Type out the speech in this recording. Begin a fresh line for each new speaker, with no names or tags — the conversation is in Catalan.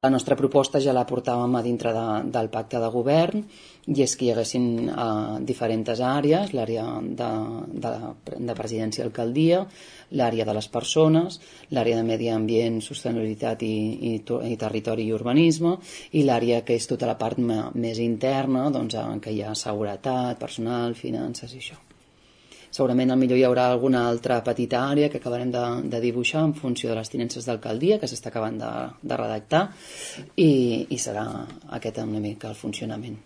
La nostra proposta ja la portàvem a dintre del pacte de govern, i és que hi haguessin diferents àrees: l'àrea de presidència i alcaldia, l'àrea de les persones, l'àrea de medi ambient, sostenibilitat i territori i urbanisme, i l'àrea que és tota la part més interna, doncs, en què hi ha seguretat, personal, finances i això. Segurament millor hi haurà alguna altra petita àrea que acabarem de dibuixar en funció de les tinences d'alcaldia, que s'està acabant de redactar, i serà aquest una mica el funcionament.